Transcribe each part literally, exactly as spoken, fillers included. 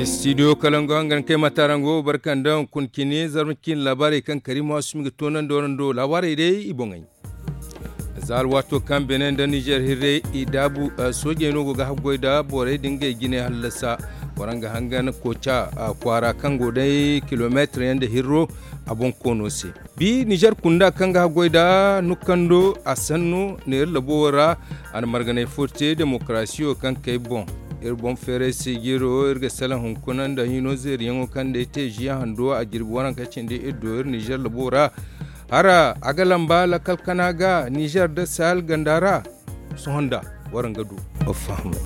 Studio kalango hangan kay matarango barka nda hunkuna cine zarma cine laabaarey kaŋ kariima waasumi ga toonandi warando laabaarey day i boŋey. Za alwaato kaŋ beene nda nizer hirrey i daabu soojey no go ga haggoy nda borey da ngey jine hallasa. Waraŋ ga hangan kooca kwaara kaŋ go day kilomeetir yaŋ nda hirro a boŋ koono se. Bi nizer kunda kaŋ ga haggoy nda nukkando a sanno neera labo wo ra. A na marganay fo te demokarasiyo kaŋ kay boŋ. Iri boŋ feeray se jiiro iri ga salaŋ hunkuna nda hino zeeriyaŋo kaŋ day te ziya hando a jirbi waranka cindi iri do iri nizer labo ra. Hara a ga lamba lakkal kana ga nizer nda sahel ganda ra. Sohõ nda waraŋ ga du fahamay.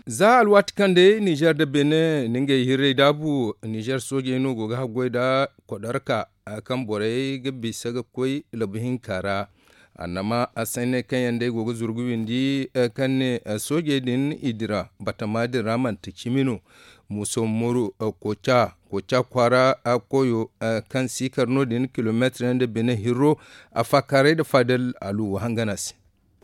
Za alwaati kaŋ day nizer nda beene na ngey hirray daabu nizer soojey no go ga haggoy nda kodarka kaŋ borey ga bisa ga koy labu hinka ra. Annama a sayney kaŋ yaŋ day go ga zuru ga windi kaŋ ne soojey din i dira batama din ra manti cimi no. Muuso moru kooca kooca kwaara koyo kaŋ siikar no- din kilomeetir yaŋ nda bine hirro a faakaaray nda faadal aluwa hangana se.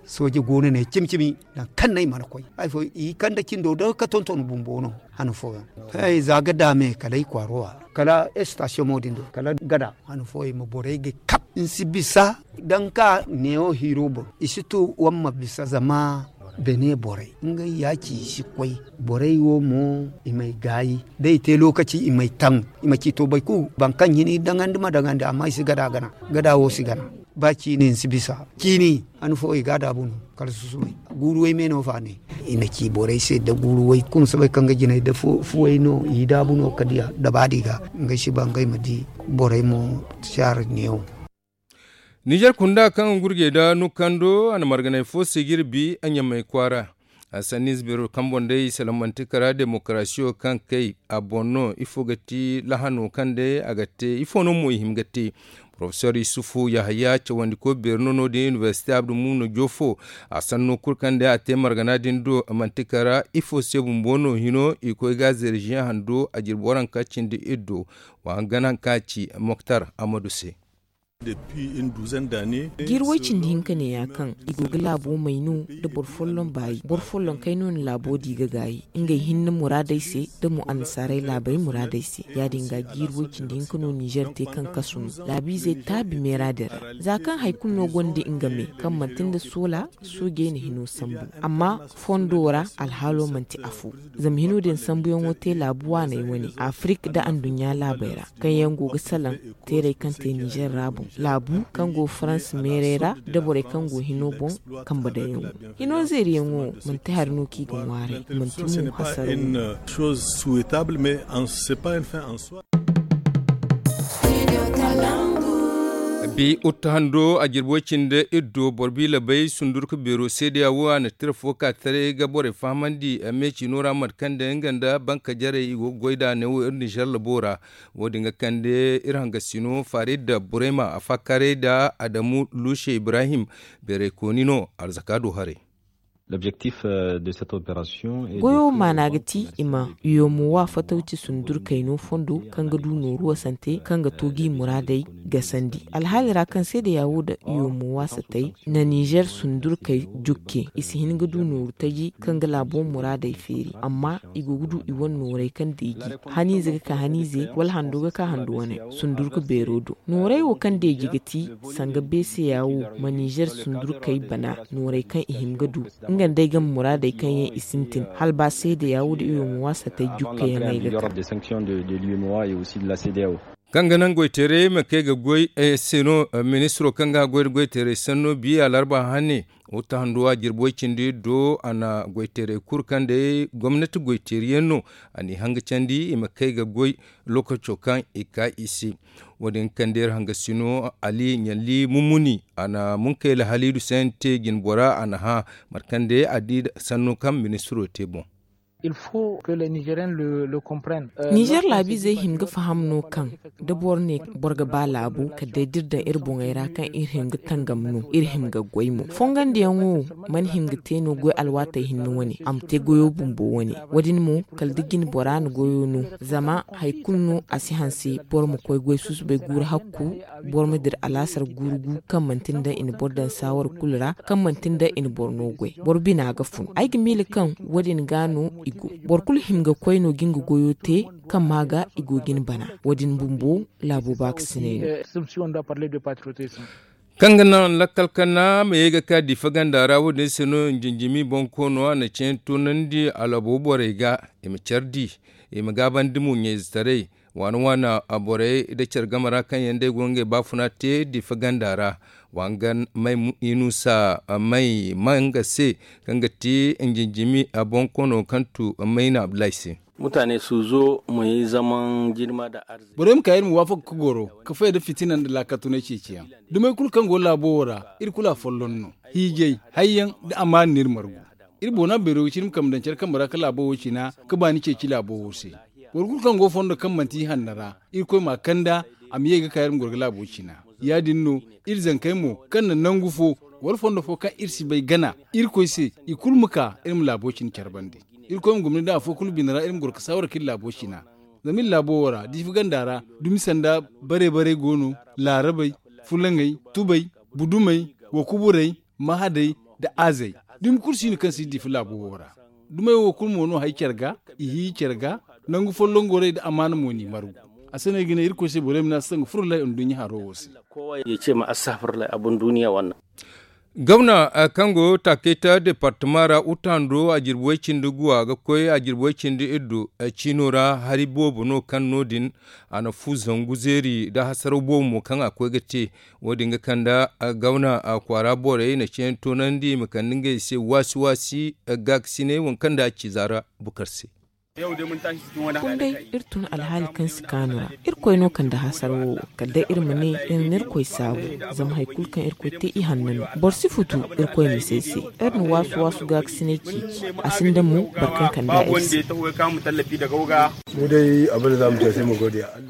Sooje goono ne cimi cimi nangu kaŋ no ay mana koy hari fo i kande cindo day ga tonton bumbo no. Han fooyaŋ za ga daame kala ay kwaaro a kala estasiyoŋo din do kala gada han fooyaŋ i ma borey ga kab ni si bisa da ni ka neewo hiiro boŋ i si tu wala ni ma bisa zama beene borey ngey ya ci i si koy. Borey wo mo i ma ay gaayi da i te lookaci i ma ay taŋ i ma ciito boro kulu boro kaŋ hini daŋandi ma daŋandi amma i si gada gana gada wo si gana. Ba ciini ni si bisa ciini han fo i ga a daabu no kala susubay guuru way me no fa ne. I na ci borey se da guuru way kulu soobay kaŋ ga jinay da fuway no i daabu no kala diya da ba di ga ngey si ba ngey ma di borey mo saara neewo. Nizer kunda kaŋ ga gurjey da nukando a na marganay fo se ga iri bi a ɲamay kwaara. A sanni ize beero kaŋ boŋ day i salaŋ manti kara demokarasiyo kaŋ kay a boŋ no ifo ga ti lahano kaŋ day a ga te ifo no mo i hima ga te. Porofesor yusufu yahaya cawandiko beero no no din inibersite abdulmumno jofo. A sanno kulu kaŋ day a te margana din do manti kara ifo se bumbo no hino i koy ga a zeeri ziyaŋ hando a jirbi waranka cindi iri do. Wa hangan hari kaŋ a ci moktar amadu se. Jiiri way cindi hinka neeya kaŋ i go ga laabo may no nda boro folloŋ baayi boro folloŋ kay no na laabo di ga gaayi ngey hinne muraadey se nda mo annasaarey laabey muraadey se. Ya- din ga jiiri way cindi hinka no nizer te kaŋ kasu no laabiizey taabi meera din ra. Za kaŋ hari kulu no gonda nga me kaŋ manti nda soola soojey na hino sambu. Amma fondo ra alhaalo manti afo. Zama hino din sambuyaŋo te laabu waaney wane afirik nda anduɲɲa laabey ra kaŋ yaŋ go ga salaŋ teerey kaŋ te nizer ra boŋ laabu kaŋ go farans meerey ra nda borey kaŋ go hino boŋ. Kambe daŋyaŋo hino zeeriyaŋo manti hari no kaŋ i ga ŋwaaray manti mo hasara. Bi utta hando a jirbo cinde iddo boro biila bay sundurka beero seedeya wo a na tira fo ka taray ga borey fahamandi me ciino ra mate kaŋ day nga nda banka jarey i go ga goy nd'a neewo iri nizer labo ra. Wo- din ga kande iri hangasino farid burayma a faakaaray nda adamu luuse ibrahim. Beeraykooni no arzaka do haray. Goyo maana ga ti i ma yomo wa fatawci sundurkayno fondo kaŋ ga du nooru wasante kaŋ ga to g'i muraadey gasandi alhaali ra kaŋ seedeya wo nda yomo wa satay na nizer sundurkay jukke i si hin ga du nooru taji kaŋ ga laabo muraadey feeri amma i go ga du i wane noorey kaŋ deeji haniize ga ka haniize wala hando ga ka hando wane sundurka beero do. Nooray wo kaŋ deeji ga ti sanga beeseya wo ma nizer sundurkey bana nooray kaŋ i hima ga du nga nda ay game muraadey kaŋ yaŋ i sintin hala ba seedeya wo nda i wo ma waasa tay jukkayaŋey ga ka. Kaŋ ga naŋ goyteeray ma kay ga goy se no ministiro kaŋ ga goy nda goyteeray sanno biya larba hane. Wutta handu a jirbi way cindi do a na goyteeray kulu kaŋ day gomnati goyteeri yaŋ no a n'i hanga candi i ma kay ga goy. Lookaco kaŋ i ka i se wo- din kaŋ day iri hangasino ali ɲalli mumuni a na munkayla haliidu sayante jinbora a na hã mate kaŋ day a di sanno kaŋ ministiro te boŋ. Nizer laabiizey hima ga faham no kaŋ da boro ne boro ga ba laabu kala day da iri daŋ iri boŋey ra kaŋ iri hima ga tangam no iri hima ga goy mo fongandiyaŋo. Mana hima ga te no goy alwaatey hinne wane a ma te goyo bumbo wane. Wo- din mo kala da jine bora na goyo no zama hari kulu no a si hanse boro ma koy goy susubay guuru hakku. Boro ma dira alaasar guuru gu kaŋ manti nda i na boro daŋ saawar kulu ra kaŋ manti nda i na boro no goy boro bina ga fun ay ga miila kaŋ wo- din ga no i go. Boro kulu hima ga koy no ga nga goyo te kaŋ ma ga i go ga ni bana. Wo- din bumbo laabo baakasinay no. Kaŋ ga naŋ lakkal kana ma ye ga ka diifa ganda ra wo- din se no njinjimi bonkoono a na ceeyaŋ toonandi a labo borey ga i ma care di i ma gaabandi mo ɲayzetaray. Waana waana borey nda care game ra kaŋ yaŋ day go ngey baafuna te diifa ganda ra. Wa nga may inusa may manga se kaŋ ga ti njinjimi bonkoono kaŋ tu mayna abdulahi se. Mutane suzo mu yi zaman jirma da arziki. Borey ma ka iri ma waafaka ka goro ka fay nda fitina nda laakatunay ceeciyaŋ. Dumey kulu kaŋ go laabo wo ra iri kulu a folloŋ no. Hiijay hayyaŋ nda amaana no iri margu. Iri boona beero ga cine ma kambe daŋ care kambe ra ka laabo wo cina ka baani ceeci laabo wo se. Boro kulu kaŋ go fondo kaŋ manti ihanna ra irkoy m'a kanda a ma ye ga ka iri ma goro ga laabo cina. Ya- din no iri zankey mo kaŋ na nangu fo wala fondo fo kaŋ iri si bay gana irkoy se i kulu ma ka iri ma laabo cine care bande. Irkoy ma gomni da afo kulu bine ra iri ma goro ga saawara ka iri laabo cina. Zama iri laabo wo ra diifi ganda ra dumi sanda bare bare go no, laarabey, fulaŋey, tubey, budumey, wakuburey, mahadey, nda aazey. Dumi kulu si no kaŋ si diifi laabo wo ra. Dumey wo kulu mo no hay care ga, i hiiyi care ga. Nangu folloŋ gorey nda amaana mo n'i margu. A se no ay ga ne irkoy se borey ma ne astagfurullah nduɲɲa haro wo se. Gawna kaŋ go taakayta departama ra utando a jirbi way cindi gu a ga koy a jirbi way cindi iddu. Ciino ra hari boobo no kaŋ no- din a na fu zangu zeeri nda hasaraw boobo mo kaŋ a koy ga te. Wo- din ga kande gawna kwaara borey na ceeyaŋ toonandi i ma kande ngey se waasi waasi gaakasinay waŋ kaŋ nda a ci zaara bukar se. Kunday iri tun alhaali kaŋ si kaanu ra. Irkoy no kande hasara wo wo kala day iri ma ne iri na irkoy saabu. Zama hari kulu kaŋ irkoy te ihanna no. Boro si futu irkoy ma se se. Iri na waasu waasu gaakasinay ceeci. A sinda mo boro kaŋ kande a iri se.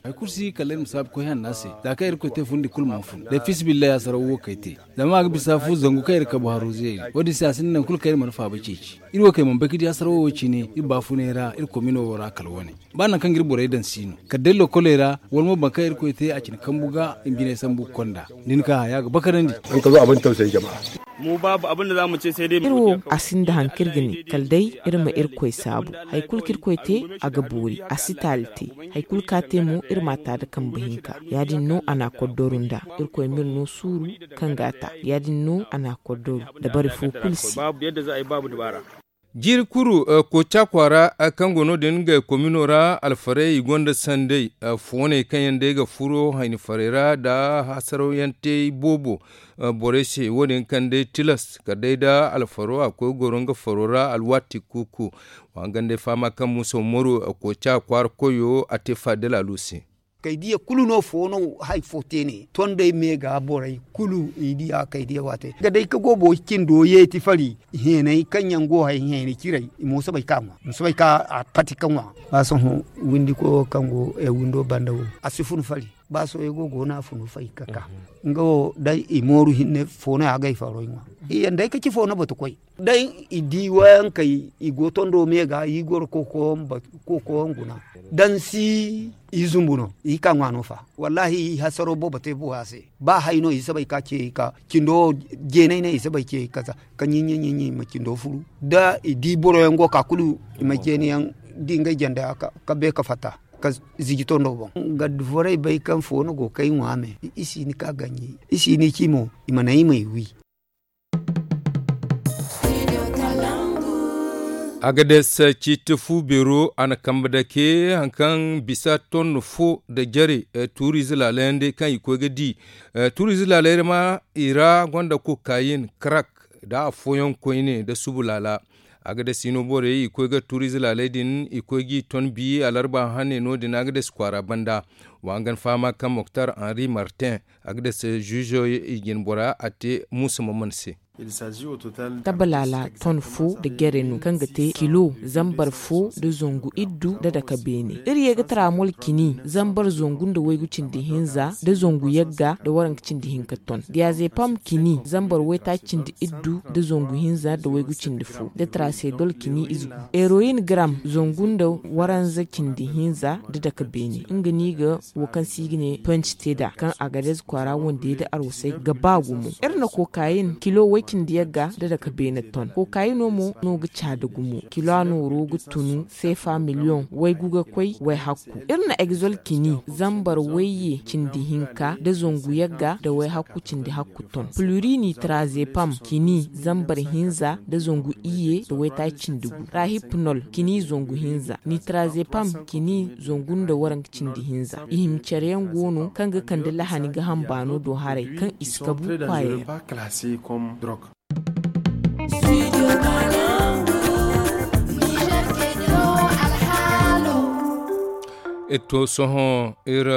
Hari kulu si kala iri ma saabu koy hanna se za kaŋ irkoy te fundi kulu mana fun day fiisabilillahi hasaraw wo kay te. Zama a ga bisa fu zangu kaŋ iri kabu haro zeeri. Wo- din se a sinda nangu kulu kaŋ iri mana faaba ceeci. Iri wo kaŋ iri mana bay ga di hasaraw wo cine iri baafunay ra iri komino wo ra kala wane. Ba nangu kaŋ ga iri borey daŋ si no kala day lokoley ra wala mo boro kaŋ irkoy te a cine kambu ga i ma jinay sambu ga konda. Da ni ka haya ga bakarandi. Iri wo a sinda hari kaŋ iri ga ne kala day iri ma irkoy saabu. Hari kulu kaŋ irkoy te a ga boori a si taali te. Hari kulu kaŋ a te mo iri m'a ta nda kambe hinka. Ya- din no a na a koddoru nd'a. Irkoy m'iri no suuru kaŋ ga a ta. Ya- din no a na a koddoru dabari fo kulu se. Jiiri kuru kooca kwaara kaŋ go no- din ngey komino ra alfarey i gonda sanday. Fooney kaŋ yaŋ day ga furo hayni farey ra nda hasaraw yaŋ te boobo borey se wo- din kaŋ day tilas kala day nda alfaro a koy goro nga faro ra alwaati kuuku. Wa nga day fahama kaŋ muusa umaru kooca kwaara koyo a te faadila alu se. Kay diya kulu no fo no hari fo te ne tondey me ga borey kulu i diya kay diya waate ga day ka go boro cindo yeeti fari heeney kaŋ yaŋ go hari heeney ciray i mo soobay ka ŋwa ma soobay ka a pati ka ŋwa. Ba sohõ windi koyo kaŋ go windo banda wo a si fun fari. Ba sohõ ay go go no a funu fay ka ka nga wo day i mooru hinne fo no ya ga ay faro ay ŋwa. I yaŋ day ka ci fo no batu koy. Day i di wayankey i go tondo me ga i goro koko yaŋ guna. Dansi i zumbu no i ka ŋwa no fa. Wallahi i hasaro boobo te buwa se. Ba hay no i sabay ka ce i ka cindo jeenay no i sabay ce i ka za ka ɲiɲi ɲiɲi i ma cindo furu da i di boro yaŋ go ka kulu i ma jeeni yaŋ di ngey janda ka be ka fatta ka ziji tondo boŋ. Gaddi forey bay kaŋ fo no go kay ŋwa me i si ni ka ganji i si ni ci mo i ma naŋ i ma i wi. Agades ciiti fu beero a na kambe dake hari kaŋ bisa tonno fo nda jare tuuriize laalayaŋ day kaŋ i koy ga di. Tuuriize laalayey ma i ra gonda kokayin karak nda afooyaŋ koyne nda subu laala. Agades hino borey i koy ga tuuriize laalay din i koy g'i ton bi alarba hane no- din agades kwaara banda. Wa hangan fahama kaŋ moktar henri martin agades ziizo i jine bora a te muusa maman se. Tabalaala ton fo nda jere no kaŋ ga te kilo zambar fo nda zangu iddu nda dake beene. Iri ye ga taraamol cini zambar zangu nda waygu cindi hinza nda zangu yagga nda waranka cindi hinka ton. Diyazepam cini zambar waytaaci cindi iddu nda zangu hinza nda waygu cindi fo nda tarasedol cini ize gu. Eroyin garam zangu nda waranza cindi hinza nda dake beene nga no i ga wo kaŋ se i ga ne punch te nd'a kaŋ a ga dayze kwaara wande nda arwasay ga ba gumo. Iri na kokayin kilo way cindi yagga nda dake beene ton kokayino mo no ga caada gumo kilo a nooro ga tunu seefa miliyoŋ waygu ga koy way hakku. Iri na egzol cini zambar wayye cindi hinka nda zangu yagga nda way hakku cindi hakku ton. Plurini trazepam cini zambar hinza nda zangu iyye nda waytaaci cindi gu. Rahipnol cini zangu hinza nitrazepam cini zangu nda waranka cindi hinza. I hima care yaŋ go no kaŋ ga kande lahani ga hamba no do haray kaŋ i si kabu kwaayey ra. Iri to sohõ iri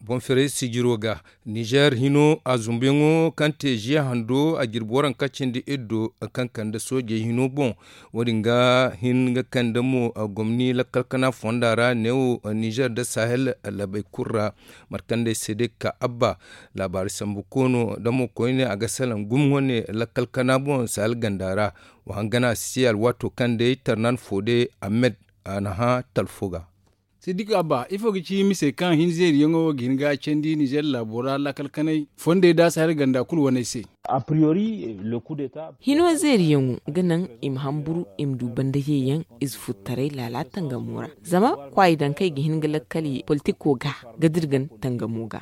boŋ firay sijiro ga nizer hino a zumbuyaŋo kaŋ te ziya hando a jirbi waranka cindi iddo kaŋ kande soojey hino boŋ. Wo- din ga hin ga kande mo gomni lakkal kana fonda ra neewo nizer nda sahel labey kulu ra. Mate kaŋ day se day ga ka abba laabaari sambu koono damo koyne a ga salaŋ gumo wane lakkal kana boŋ sahel ganda ra. Wa hangana si alwaato kaŋ day tarnan fo day ahmed a na hã talfo ga. Siddik abba ifo ga ci mise kaŋ hin zeeriyaŋo wo ga hin ga candi nizer laabo ra lakkal kanay fondey da sahel ganda kulu waney se. Hino zeeriyaŋo ga naŋ i ma hamburu i ma du banda yeeyaŋ ize futtaray laala tangamo ra. Zama kwaayi daŋ kaŋ i ga hin ga lakkal ye politiko ga ga dirgan tangamo ga.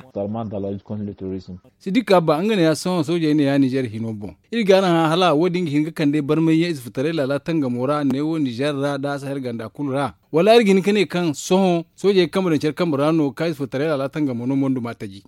Siddik abba nga ne ya sohõ soojey ne ya nizer hino boŋ. Iri ga araŋ hã hala wo- din ga hin ga kande barmay yaŋ ize futtaray laala tangamo ra neewo nizer ra da sahel ganda kulu ra. Wala iri ga hin ga ne kaŋ sohõ soojey ga kambe daŋ care kambe ra no ga ka ize futtaray laala tangamo no mondu ma taji.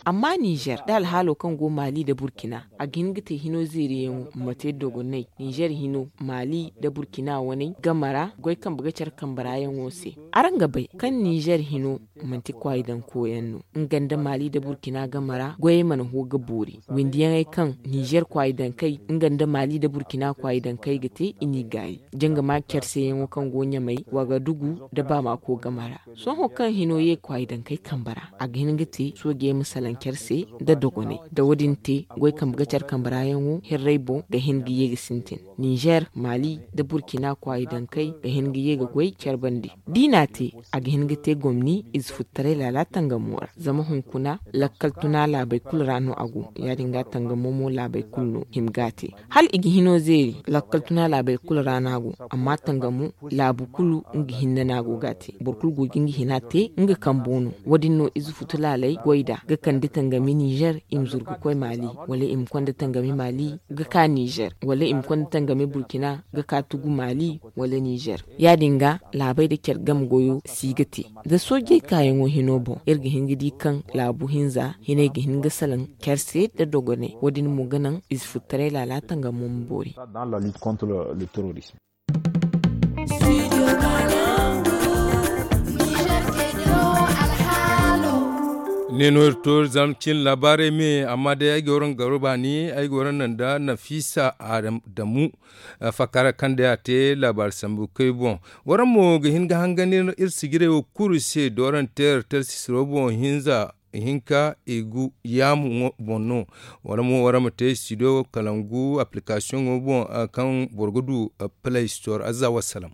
Amma nizer da alhaalo kaŋ go maali nda burkina a ga hin ga te hino zeeriyaŋo ma te dogonay nizer hino maali nda burkina waney game ra goy kambe ga care kambe ra yaŋo se. Araŋ ga bay kaŋ nizer hino manti kwaayi daŋ koyaŋ no. Nga nda maali nda burkina game ra goyey mana ho ga boori windiyaŋey kaŋ nizer kwaayi daŋ kay nga nda maali nda burkina kwaayi daŋ kay ga te i n'i gaayi. Jangama care se yaŋo kaŋ go ɲamay wagadugu nda baamako game ra. Sohõ kaŋ hino ye kwaayi daŋ kay kambe ra a ga hin ga te soojey ma salaŋ care se nda dogonay da wo- din te goy kambe ga care kambe ra yaŋo hirray boŋ ga hin ga ye ga sintin. Nizer maali nda burkina kwaayi daŋ kay ga hin ga ye ga goy care bande. Da i n'a te a ga hin ga te gomni ize futtaray laala tangamo ra zama hunkuna lakkal tuna laabey kulu ra no a go. Ya- din ga tangamo mo laabey kulu no hima ga a te hala i ga hino zeeri lakkal tuna laabey kulu ra no a go. Amma tangamo laabu kulu nga hinne no a go ga a te boro kulu go ga nga hina te nga kambo no. Wo- din no ize futu laaley goy nd'a ga kande tangami nizer i ma zuru ga koy maali wala i ma konda tangami maali ga ka nizer wala i ma konda tangami burkina ga ka tugu maali wala nizer. Ya- din ga laabey nda care game goyo si ga te da soojey kaayaŋo hino boŋ iri ga hin ga di kaŋ laabu hinza hinay ga hin ga salaŋ care se nda dogonay wo- din mo ga naŋ ize futtaray laala tangamo ma boori. Ne no iri to iri zama cin laabaarey me amma day ay ga waraŋ garo baani ay ga waraŋ naŋ nda nafisa adamu. Fakkara kaŋ day a te laabaari sambu kay boŋ. Waraŋ mo ga hin ga hangan iri sijirey wo kulu se dooranteer talsisiro boŋ hinza ihinka i gu yaamu boŋ no. Wala mo wara ma te studio kalangu application ŋo boŋ kaŋ boro ga du play store azza wassalam.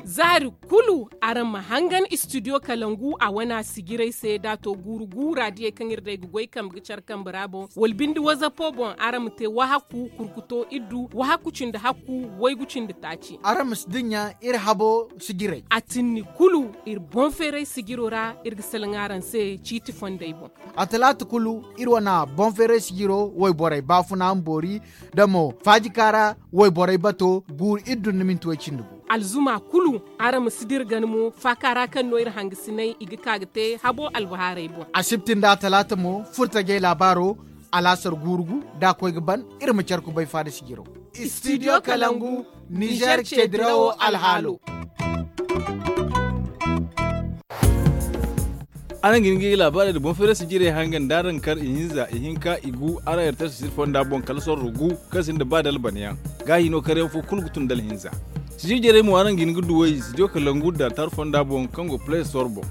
Zaari kulu araŋ ma hangan studio kalangu a wana sijiray se da to guuru guura diyey kaŋ iri day ga goy kambe ga care kambe ra boŋ wala bindi wazapo boŋ araŋ ma te wahaku kurkuto iddu wahaku cindi hakku waygu cindi taaci. Araŋ ma si dinya iri habo sijiray a tinni kulu iri boŋ feeray sijiro ra iri ga salaŋ araŋ se ciiti fondey boŋ. A talaata kulu iri wane boŋ feeray sijiro wayborey baafuna ma boori da mo faajikaara wayborey bato guuru iddu nda minti way cindi gu. Alzuma kulu araŋ ma si dirgan mo faakaara kaŋ no iri hangasinay i ga ka ga te habo albahaarey boŋ. Asibti nda talaata mo furtajey laabaaro alaasar guuru gu da a koy ga ban iri ma care kubay faada sijiro. Studio kalangu nizer ce dirawo alhaalo. Araŋ ga hin ga ay laabaarey nda boŋ feeray sijirey hanga nda araŋ kar ihinza ihinka igu araŋ erter sijir fonda boŋ kala sorro gu, kaŋ sinda ba dalbana yaŋ. Gaahi no karyaŋ fo kulu ga tun da alhinza. Sijir jarey mo araŋ ga hin ga duw'ey sidiyo kalangu da tar fonda boŋ kaŋ go play store boŋ.